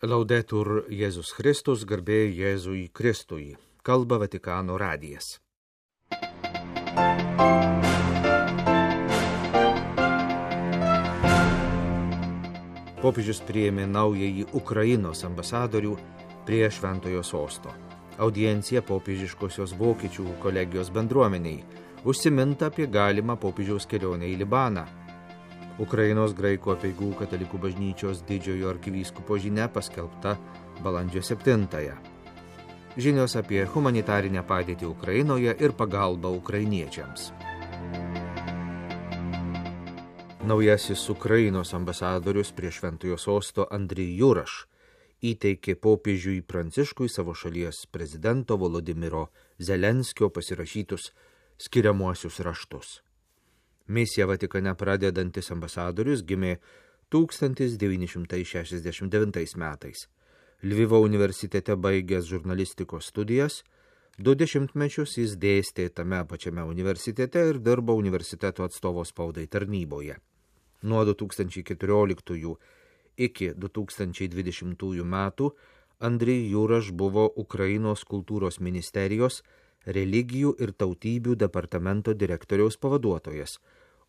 Laudetur Jėzus Kristus, garbė Jėzui Kristui. Kalba Vatikano radijas. Popiežius priėmė naująjį Ukrainos ambasadorių prie Šventojo sosto. Audiencija popiežiškosios vokiečių kolegijos bendruomeniai užsiminta apie galimą popiežiaus kelionę į Libaną. Ukrainos graikų apeigų katalikų bažnyčios didžiojo arkivyskupo žinia paskelbta balandžio 7-ąją. Žinios apie humanitarinę padėtį Ukrainoje ir pagalbą ukrainiečiams. Naujasis Ukrainos ambasadorius prie Šventojo sosto Andrij Juraš įteikė popiežiui Pranciškui savo šalies prezidento Volodymyro Zelenskio pasirašytus skiriamuosius raštus. Misiją Vatikane pradedantis ambasadorius gimė 1969 metais. Lvivo universitete baigęs žurnalistikos studijas, 20 metus jis dėstė tame pačiame universitete ir dirbo universiteto atstovo spaudai tarnyboje. Nuo 2014 iki 2020 metų Andrij Juraš buvo Ukrainos kultūros ministerijos religijų ir tautybių departamento direktoriaus pavaduotojas,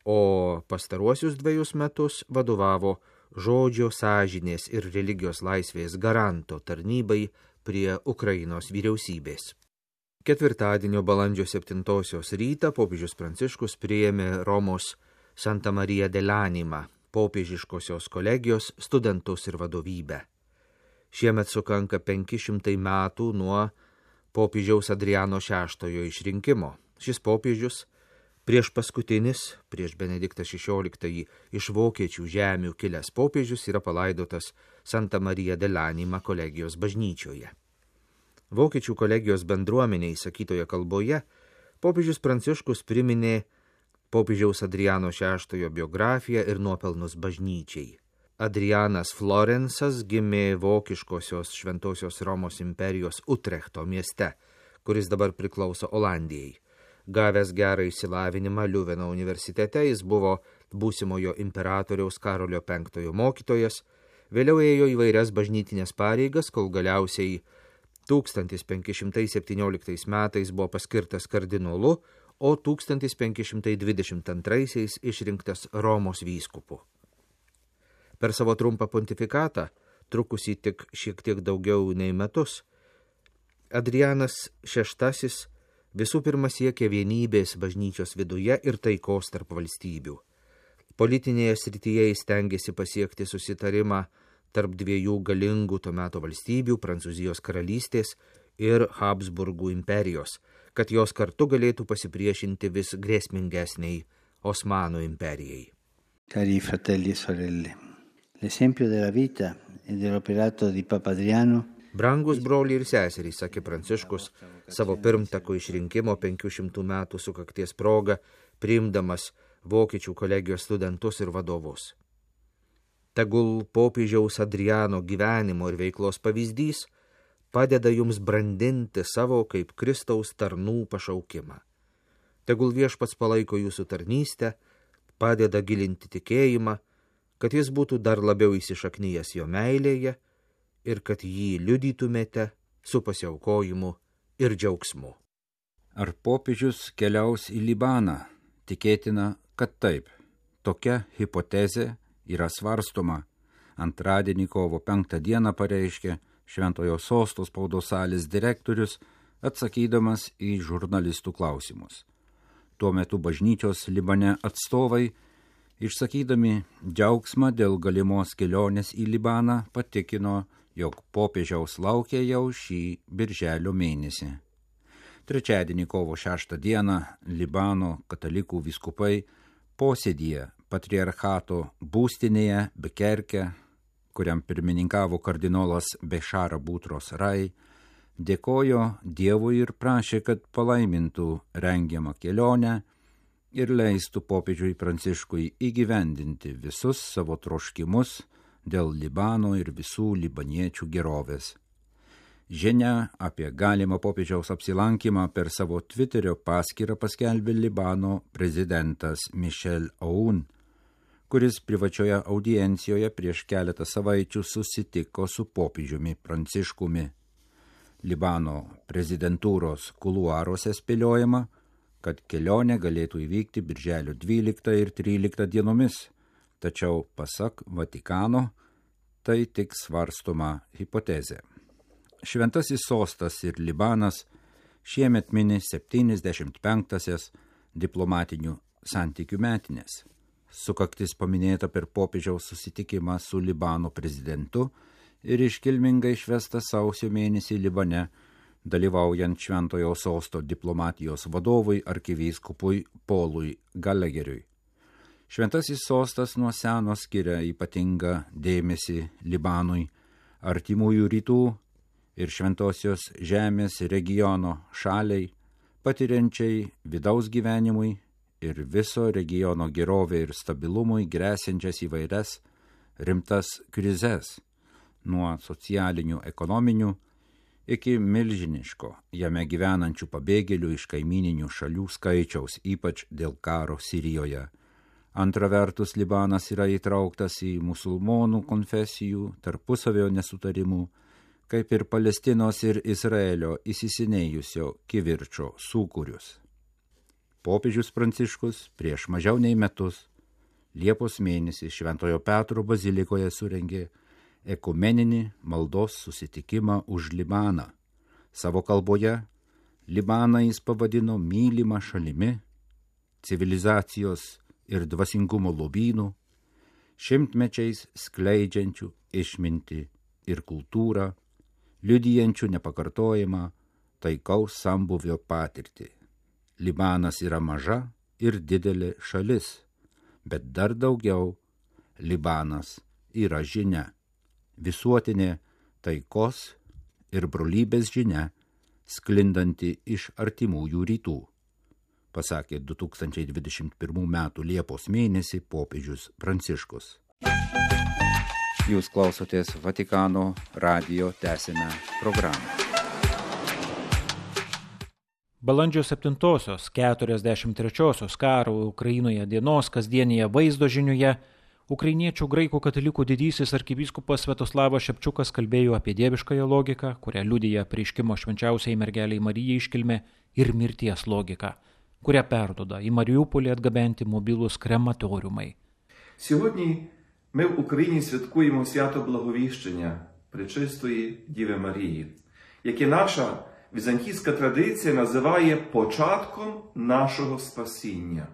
o pastaruosius 2 metus vadovavo žodžio, sąžinės ir religijos laisvės garanto tarnybai prie Ukrainos vyriausybės. Ketvirtadienio balandžio 7 rytą popiežius Pranciškus priėmė Romos Santa Marija dell'Anima popiežiškosios kolegijos studentus ir vadovybę. Šiemet sukanka 500 metų nuo popiežiaus Adriano VI išrinkimo. Šis popiežius, prieš paskutinis, prieš Benediktą XVI iš vokiečių žemių kilęs popiežius, yra palaidotas Santa Marija dell'Anima kolegijos bažnyčioje. Vokiečių kolegijos bendruomeniai sakytoje kalboje popiežius Pranciškus priminė popiežiaus Adriano VI biografiją ir nuopelnus bažnyčiai. Adrianas Florensas gimė vokiškosios Šventosios Romos imperijos Utrechto mieste, kuris dabar priklauso Olandijai. Gavęs gerą išsilavinimą Liuveno universitete, jis buvo būsimojo imperatoriaus Karolio V mokytojas, vėliau ėjo įvairias bažnytinės pareigas, kol galiausiai 1517 metais buvo paskirtas kardinolu, o 1522 išrinktas Romos vyskupu. Per savo trumpą pontifikatą, trukusį tik šiek tiek daugiau nei metus, Adrianas VI visų pirma siekė vienybės bažnyčios viduje ir taikos tarp valstybių. Politinėje srityje jis stengėsi pasiekti susitarimą tarp 2 galingų to meto valstybių, Prancūzijos karalystės ir Habsburgų imperijos, kad jos kartu galėtų pasipriešinti vis grėsmingesniai Osmanų imperijai. Cari fratelli e sorelle, l'esempio della vita e dell'operato di Papa Adriano. Brangus broliai ir seserys, sakė Pranciškus, savo pirmtako išrinkimo 500 metų sukakties proga, priimdamas vokiečių kolegijos studentus ir vadovus. Tegul popiežiaus Adriano gyvenimo ir veiklos pavyzdys padeda jums brandinti savo kaip Kristaus tarnų pašaukimą. Tegul viešpats palaiko jūsų tarnystę, padeda gilinti tikėjimą, kad jis būtų dar labiau įsišaknyjęs jo meilėje ir kad jį liudytumėte su pasiaukojimu ir džiaugsmu. Ar popiežius keliaus į Libaną? Tikėtina, kad taip. Tokia hipotezė yra svarstoma. Antradienį kovo 5 dieną pareiškė Šventojo sosto spaudos salės direktorius, atsakydamas į žurnalistų klausimus. Tuo metu bažnyčios Libane atstovai, išsakydami džiaugsmą dėl galimos kelionės į Libaną, patikino, jog popiežiaus laukia jau šį birželio mėnesį. Trečiadienį kovo 6 dieną Libano katalikų vyskupai posėdyje patriarchato būstinėje Bekerke, kuriam pirmininkavo kardinolas Bešara Butros Rai, dėkojo Dievui ir prašė, kad palaimintų rengiamą kelionę ir leistų popiežiui Pranciškui įgyvendinti visus savo troškimus dėl Libano ir visų libaniečių gerovės. Žinia apie galimą popiežiaus apsilankymą per savo Twitterio paskyrą paskelbė Libano prezidentas Michel Aoun, kuris privačioje audiencijoje prieš keletą savaičių susitiko su popiežiumi Pranciškumi. Libano prezidentūros kuluaruose spėliojama, kad kelionė galėtų įvykti birželio 12 ir 13 dienomis, tačiau pasak Vatikano tai tik svarstoma hipotezė. Šventasis sostas ir Libanas šiemet mini 75-asias diplomatinių santykių metinės. Sukaktis paminėta per popiežiaus susitikimą su Libano prezidentu ir iškilmingai švesta sausio mėnesį Libane, dalyvaujant Šventojo sosto diplomatijos vadovui arkivyskupui Paului Galegeriui. Šventasis sostas nuo seno skiria ypatingą dėmesį Libanui, artimųjų rytų ir Šventosios žemės regiono šaliai, patiriančiai vidaus gyvenimui ir viso regiono gerovė ir stabilumui gresiančias įvairias rimtas krizes, nuo socialinių, ekonominių iki milžiniško jame gyvenančių pabėgėlių iš kaimininių šalių skaičiaus, ypač dėl karo Sirijoje. Antra vertus, Libanas yra įtrauktas į musulmonų konfesijų tarpusavio nesutarimų, kaip ir Palestinos ir Izraelio įsisenėjusio kivirčo sūkurius. Popiežius Pranciškus prieš mažiau nei metus, Liepos mėnesį Šventojo Petro bazilikoje surengė ekumeninį maldos susitikimą už Libaną. Savo kalboje Libaną jis pavadino mylimą šalimi, civilizacijos ir dvasingumo lobynų, šimtmečiais skleidžiančių išmintį ir kultūrą, liudijančių nepakartojamą taikaus sambuvio patirtį. Libanas yra maža ir didelė šalis, bet dar daugiau Libanas yra žinia, visuotinė taikos ir brolybės žinia, sklindanti iš artimųjų rytų, pasakė 2021 m. Liepos mėnesį popiežius Pranciškus. Jūs klausotės Vatikano radijo tęsiame programą. Balandžio 7-osios 43-osios karo Ukrainoje dienos kasdienėje vaizdo žiniuje ukrainiečių graikų katalikų didysis arkivyskupas Sviatoslavas Šepčiukas kalbėjo apie dieviškąją logiką, kurią liudija apreiškimo švenčiausiai mergelei Marijai iškilmė, ir mirties logiką, kurią perduoda į Маріуполі atgabenti mobilūs krematoriumai. Сьогодні ми в Україні святкуємо свято Благовіщення Пречистої Діви Марії, яке наша візантійська традиція називає початком нашого спасіння.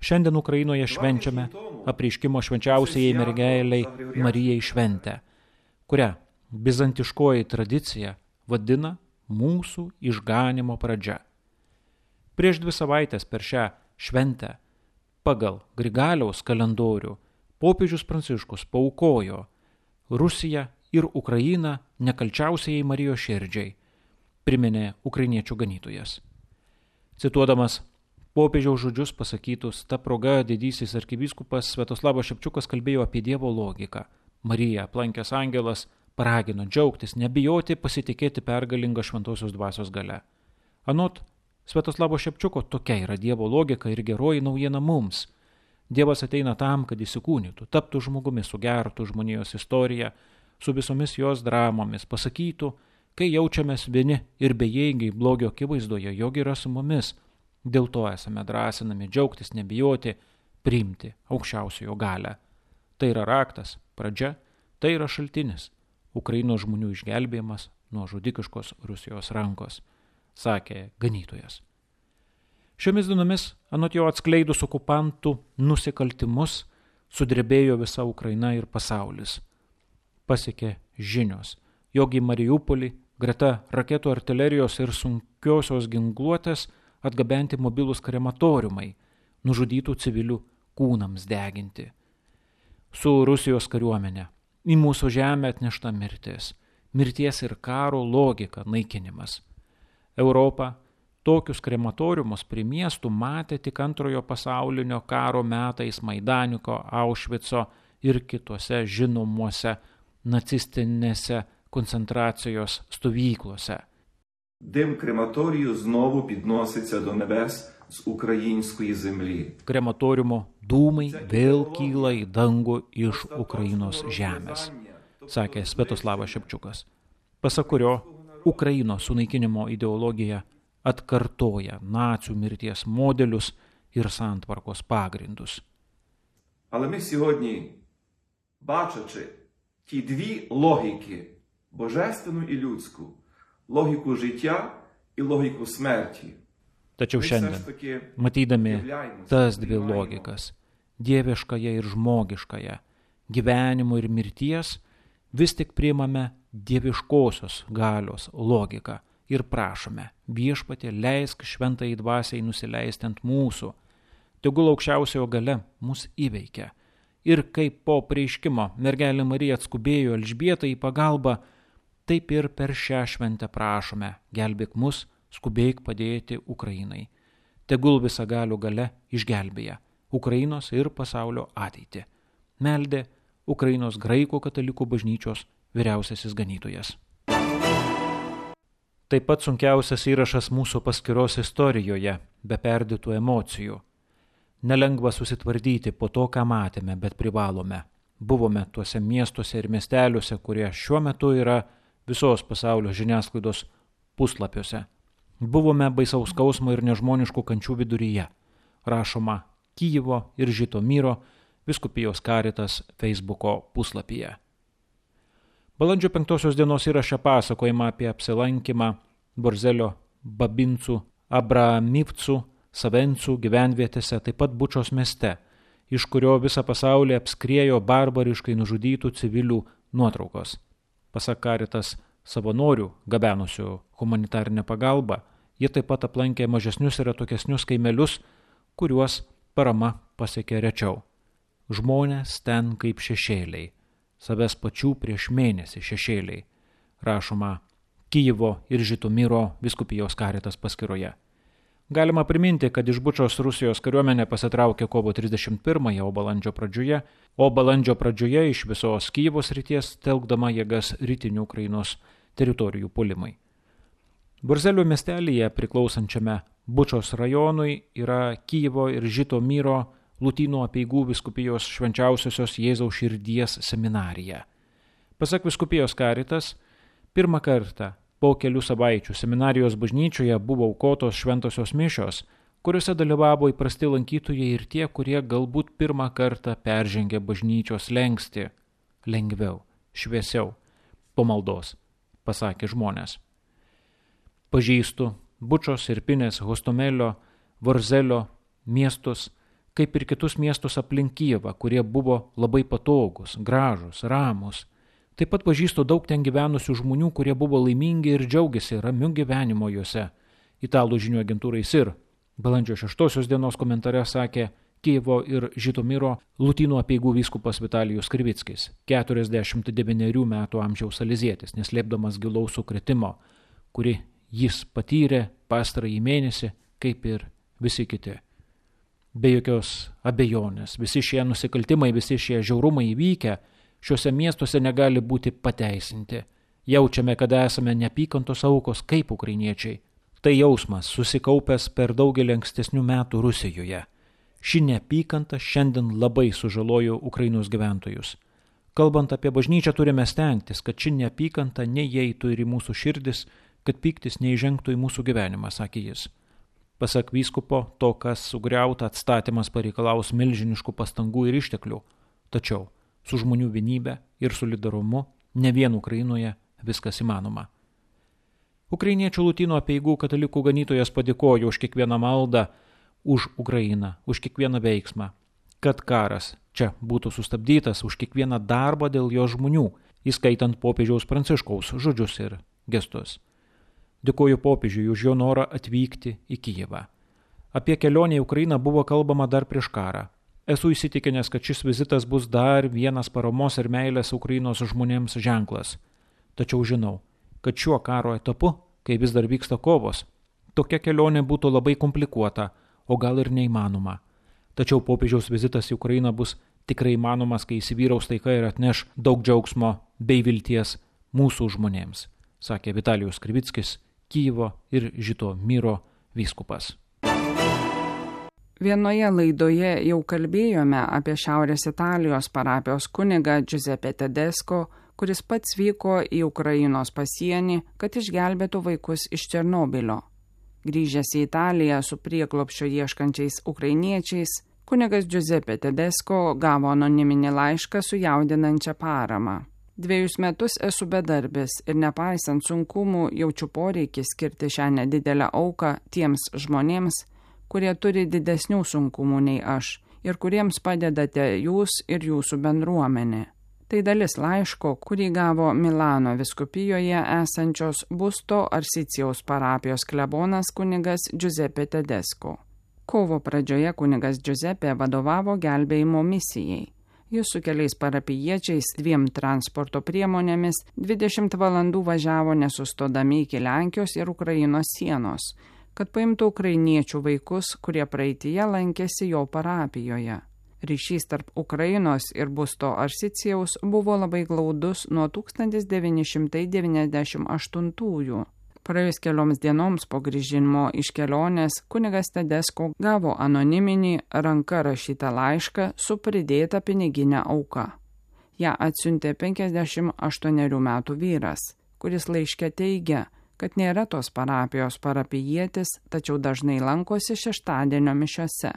Šiandien Ukrainoje švenčiame apreiškimo švenčiausiai mergelei Marijai šventę, kurią bizantiškoji tradicija vadina mūsų išganymo pradžia. Prieš 2 savaitės per šią šventę pagal Grigaliaus kalendorių popiežius Pranciškus paaukojo Rusiją ir Ukrainą nekalčiausiai Marijos širdžiai, priminė ukrainiečių ganytojas. Cituodamas popiežiaus žodžius pasakytus, ta proga didysis arkivyskupas Sviatoslavas Šepčiukas kalbėjo apie Dievo logiką. Mariją aplankęs angelas paragino džiaugtis, nebijoti, pasitikėti pergalingą šventosios dvasios gale. Anot Sviatoslavo Šepčiuko tokia yra Dievo logika ir geroji naujiena mums. Dievas ateina tam, kad įsikūnytų, taptų žmogumi, sugertų žmonijos istoriją, su visomis jos dramomis, pasakytų, kai jaučiamės vieni ir bejėgiai blogio akivaizdoje, jog yra su mumis. Dėl to esame drąsinami džiaugtis, nebijoti, priimti aukščiausiojo galią. Tai yra raktas, pradžia, tai yra šaltinis, Ukrainos žmonių išgelbėjimas nuo žudikiškos Rusijos rankos, sakė ganytojas. Šiomis dienomis, anot jo atskleidus okupantų nusikaltimus, sudrebėjo visa Ukraina ir pasaulis. Pasiekė žinios, jog į Mariupolį greta raketų artilerijos ir sunkiosios ginkluotės atgabenti mobilūs krematoriumai, nužudytų civilių kūnams deginti. Su Rusijos kariuomenė į mūsų žemę atnešta mirties ir karo logika naikinimas. Europa tokius krematoriumus prie miestų matė tik Antrojo pasaulinio karo metais Maidaniko, Aušvico ir kitose žinomuose nacistinėse koncentracijos stovyklose. Дим крематорію знову підноситься до небес з української землі. Krematoriumo dūmai vėl kyla į dangų iš Ukrainos žemės, sakė Sviatoslavas Šepčiukas, pasak kurio Ukrainos sunaikinimo ideologija atkartoja nacių mirties modelius ir santvarkos pagrindus. Але ми сьогодні, бачачи ті дві логіки, божественну і людську, логіку життя і логіку смерті, Tačiau šiandien, matydami tas dvi logikas, dieviškąją ir žmogiškąją, gyvenimo ir mirties, vis tik priimame dieviškosios galios logiką ir prašome, Viešpatie, leisk šventai dvasiai nusileisti ant mūsų, tegul aukščiausiojo gale mus įveikia. Ir kaip po preiškimo mergelė Marija atskubėjo Elžbietai į pagalbą, taip ir per šią šventę prašome, gelbėk mus, skubėk padėti Ukrainai. Tegul visagalių gale išgelbėja Ukrainos ir pasaulio ateitį. Meldė Ukrainos graikų katalikų bažnyčios vyriausiasis ganytojas. Taip pat sunkiausias įrašas mūsų paskyros istorijoje, be perdėtų emocijų. Nelengva susitvardyti po to, ką matėme, bet privalome. Buvome tuose miestuose ir miesteliuose, kurie šiuo metu yra visos pasaulio žiniasklaidos puslapiuose. Buvome baisaus skausmo ir nežmoniškų kančių viduryje, rašoma Kijevo ir Žitomyro vyskupijos Caritas Facebooko puslapyje. Balandžio 5 dienos įraše pasakojama apie apsilankymą Borzelio, Babincų, Abramivcų, Savencų gyvenvietėse, taip pat Bučos mieste, iš kurio visą pasaulį apskriejo barbariškai nužudytų civilių nuotraukos. Pasak Caritas savanorių gabenusių humanitarinę pagalbą, jie taip pat aplankė mažesnius ir atokesnius kaimelius, kuriuos parama pasiekė rečiau. Žmonės ten kaip šešėliai, savęs pačių prieš mėnesį šešėliai, rašoma Kijevo ir Žitomyro vyskupijos Caritas paskyroje. Galima priminti, kad iš Bučos Rusijos kariuomenė pasitraukė kovo 31-ąją, o balandžio pradžioje iš visos Kijevo srities telkdama jėgas rytinių Ukrainos teritorijų puolimai. Borzelio miestelyje priklausančiame Bučos rajonui yra Kijevo ir Žitomyro Lotynų apeigų vyskupijos švenčiausiosios Jėzaus širdies seminarija. Pasak vyskupijos Caritas, pirmą kartą po kelių savaičių seminarijos bažnyčioje buvo aukotos šventosios mišios, kuriuose dalyvavo įprasti lankytojai ir tie, kurie galbūt pirmą kartą peržengė bažnyčios slenkstį. Lengviau, šviesiau, po maldos, pasakė žmonės. Pažįstu Bučos, Irpinės, Hostomelio, Vorzelio miestus, kaip ir kitus miestus aplink Kijevą, kurie buvo labai patogus, gražus, ramus. Taip pat pažįstu daug ten gyvenusių žmonių, kurie buvo laimingi ir džiaugiasi ramiu gyvenimo juose. Italų žinių agentūrai SIR balandžio 6 dienos komentare sakė Kijevo ir Žitomyro Lotynų apeigų vyskupas Vitalijus Krivickis, 49 metų amžiaus salezietis, neslėpdamas gilaus sukrėtimo, kuri jis patyrė pastarąjį mėnesį, kaip ir visi kiti. Be jokios abejonės, visi šie nusikaltimai, visi šie žiaurumai įvykę, šiuose miestuose negali būti pateisinti. Jaučiame, kad esame neapykantos aukos kaip ukrainiečiai. Tai jausmas susikaupęs per daugelį ankstesnių metų Rusijoje. Ši neapykanta šiandien labai sužalojo Ukrainos gyventojus. Kalbant apie bažnyčią, turime stengtis, kad ši neapykanta neįeitų ir į mūsų širdis, kad pyktis neįžengtų į mūsų gyvenimą, sakė jis. Pasak vyskupo, to, kas sugriauta, atstatymas pareikalaus milžiniškų pastangų ir išteklių. Tačiau su žmonių vienybė ir solidarumu ne vien Ukrainoje viskas įmanoma. Ukrainiečių Lotynų apeigų katalikų ganytojas padėkojo už kiekvieną maldą, už Ukrainą, už kiekvieną veiksmą, kad karas čia būtų sustabdytas, už kiekvieną darbą dėl jo žmonių, įskaitant popiežiaus Pranciškaus žodžius ir gestus. Dėkoju popiežiui už jo norą atvykti į Kijevą. Apie kelionę į Ukrainą buvo kalbama dar prieš karą. Esu įsitikinęs, kad šis vizitas bus dar vienas paramos ir meilės Ukrainos žmonėms ženklas. Tačiau žinau, kad šiuo karo etapu, kai vis dar vyksta kovos, tokia kelionė būtų labai komplikuota, o gal ir neįmanoma. Tačiau popiežiaus vizitas į Ukrainą bus tikrai įmanomas, kai įsivyraus taika ir atneš daug džiaugsmo bei vilties mūsų žmonėms, sakė Vitalijus Krivickis, Kijevo ir Žitomyro vyskupas. Vienoje laidoje jau kalbėjome apie Šiaurės Italijos parapijos kunigą Giuseppe Tedesco, kuris pats vyko į Ukrainos pasienį, kad išgelbėtų vaikus iš Černobylio. Grįžęs į Italiją su prieglobsčio ieškančiais ukrainiečiais, kunigas Giuseppe Tedesco gavo anoniminį laišką su jaudinančia parama. 2 metus esu bedarbis ir nepaisant sunkumų jaučiu poreikį skirti šią nedidelę auką tiems žmonėms, kurie turi didesnių sunkumų nei aš ir kuriems padedate jūs ir jūsų bendruomenė. Tai dalis laiško, kurį gavo Milano vyskupijoje esančios Busto Arsicijaus parapijos klebonas kunigas Giuseppe Tedesco. Kovo pradžioje kunigas Giuseppe vadovavo gelbėjimo misijai. Jis su keliais parapijiečiais 2 transporto priemonėmis 20 valandų važiavo nesustodami iki Lenkijos ir Ukrainos sienos, kad paimtų ukrainiečių vaikus, kurie praeityje lankėsi jo parapijoje. Ryšys tarp Ukrainos ir Busto Arsicijaus buvo labai glaudus nuo 1998-ųjų. Praėjus kelioms dienoms po grįžimo iš kelionės, kunigas Tedesco gavo anoniminį ranka rašytą laišką su pridėta piniginė auka. Ja atsiuntė 58 metų vyras, kuris laiške teigia, kad nėra tos parapijos parapijietis, tačiau dažnai lankosi šeštadienio mišiose.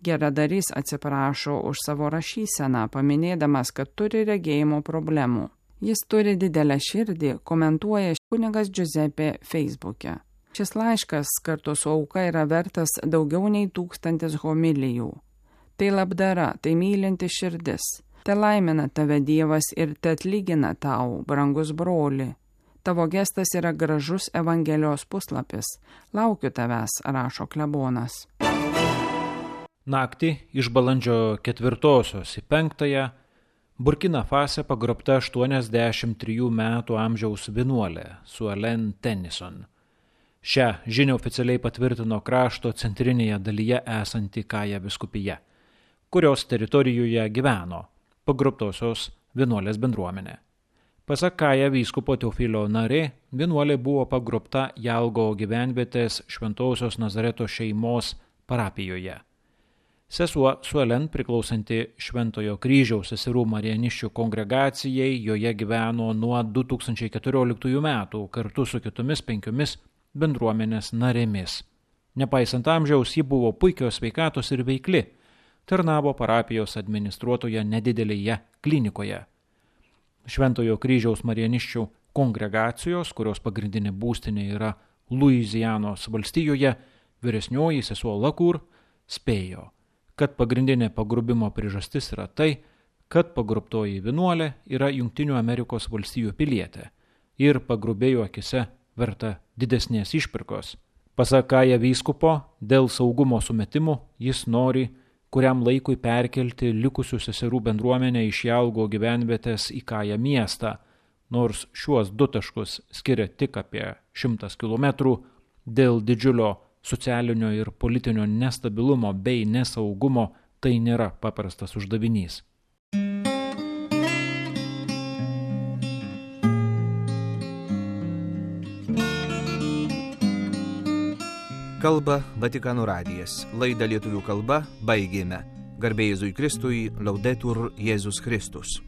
Geradarys atsiprašo už savo rašyseną, paminėdamas, kad turi regėjimo problemų. Jis turi didelę širdį, komentuoja kunigas Giuseppe Facebook'e. Šis laiškas kartu su auka yra vertas daugiau nei 1000 homilijų. Tai labdara, tai mylinti širdis. Te laimina tave Dievas ir te atlygina tau, brangus broli. Tavo gestas yra gražus Evangelijos puslapis. Laukiu tavęs, rašo klebonas. Naktį iš balandžio 4 į 5 Burkina Fase pagrobta 83 metų amžiaus vienuolė Suelen Tennyson. Šią žinią oficialiai patvirtino krašto centrinėje dalyje esanti Kaja vyskupija, kurios teritorijoje gyveno pagrobtosios vienuolės bendruomenė. Pasak Kaja vyskupo Teofilio Narė, vienuolė buvo pagrobta Jalgo gyvenvietės Šventosios Nazareto šeimos parapijoje. Sesuo Suelen, priklausanti Šventojo kryžiaus seserų marianiščių kongregacijai, joje gyveno nuo 2014 metų kartu su kitomis 5 bendruomenės narėmis. Nepaisant amžiaus, ji buvo puikios sveikatos ir veikli, tarnavo parapijos administruotoje nedidelėje klinikoje. Šventojo kryžiaus marianiščių kongregacijos, kurios pagrindinė būstinė yra Luizianos valstijoje, vyresnioji sesuo Lakur spėjo, kad pagrindinė pagrobimo priežastis yra tai, kad pagrobtoji vienuolė yra Jungtinių Amerikos valstijų pilietė ir pagrobėjo akise verta didesnės išpirkos. Pasak Kaja vyskupo, dėl saugumo sumetimų jis nori kuriam laikui perkelti likusių seserų bendruomenę iš Jalgo gyvenvietės į Kają miestą, nors šiuos 2 taškus skiria tik apie 100 km, dėl didžiulio socialinio ir politinio nestabilumo bei nesaugumo tai nėra paprastas uždavinys. Kalba Vatikano radijas. Laidą lietuvių kalba baigėme. Garbė Jėzui Kristui, Laudetur Jėzus Kristus.